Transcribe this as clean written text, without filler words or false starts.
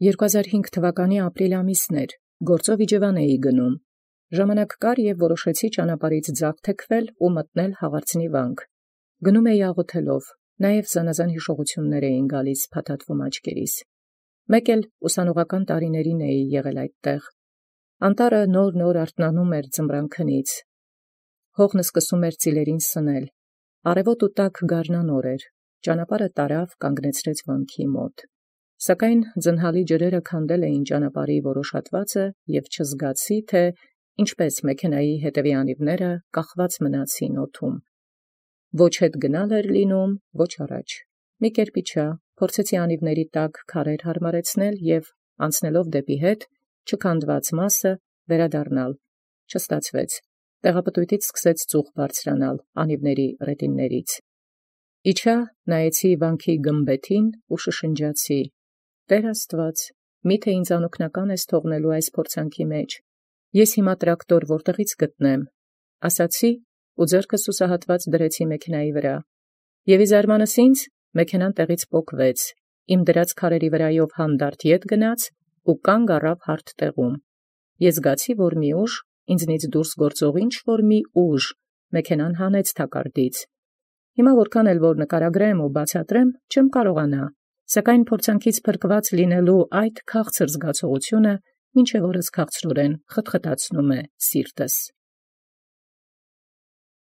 2005 թվականի ապրիլ ամիսն էր, գործով Իջևան գնում. ժամանակ կար և որոշեցի ճանապարհից ձախ թեքվել ու մտնել Հաղարծնի վանք։ Գնում աղոթելով, նաև զանազան հիշողություններ էին գալիս փաթաթվում աչքերիս։ Մեկ էլ ուսանողական տարիներին եղել այդտեղ։ Անտառը նոր արթնանում էր ձմռանքնից։ Հողն սկսում էր ծիլերին սնել։ Արևոտ ու տաք գարնանօր էր։ Ճանապարհը տարավ, կանգնեցրեց վանքի մոտ։ Սակայն ձնհալի ջրերը քանդել էին ճանապարհի որոշ հատվածը, և չզգացի, թե ինչպես մեքենայի հետևի անիվները կախված մնացին օդում։ Ոչ հետ գնալ էր լինում, ոչ առաջ։ Մի կերպ իջա, փորձեցի անիվների տակ քարեր հարմարեցնել և անցնելով դեպի հետ, չքանդված մասը վերադառնալ։ Չստացվեց։ Տեղապտույտից սկսեց ծուխ բարձրանալ անիվների ռետիններից։ Իջա, նայեցի վանքի գմբեթին ու շշնջացի. «Տեր Աստված, միթե ինձ անօգնական ես թողնելու այս փորձանքի մեջ։ Ես հիմա տրակտոր որտեղից գտնեմ»։ Ասացի ու ձեռքս հուսահատված դրեցի մեքենայի վրա։ Եւ ի զարմանս ինձ մեքենան տեղից պոկվեց, իմ դրած քարերի վրայով հանդարտ ետ գնաց ու կանգ առավ հարթ տեղում։ Ես զգացի, որ մի ուժ, ինձնից դուրս գործող ինչ-որ մի ուժ, մեքենան հանեց թակարդից։ Հիմա որքան էլ որ նկարագրեմ ու բացատրեմ, չեմ կարողանա, սակայն փորձանքից փրկված լինելու այդ քաղցր զգացողությունը մինչև օրս քաղցրորեն խտխտացնում է սիրտս։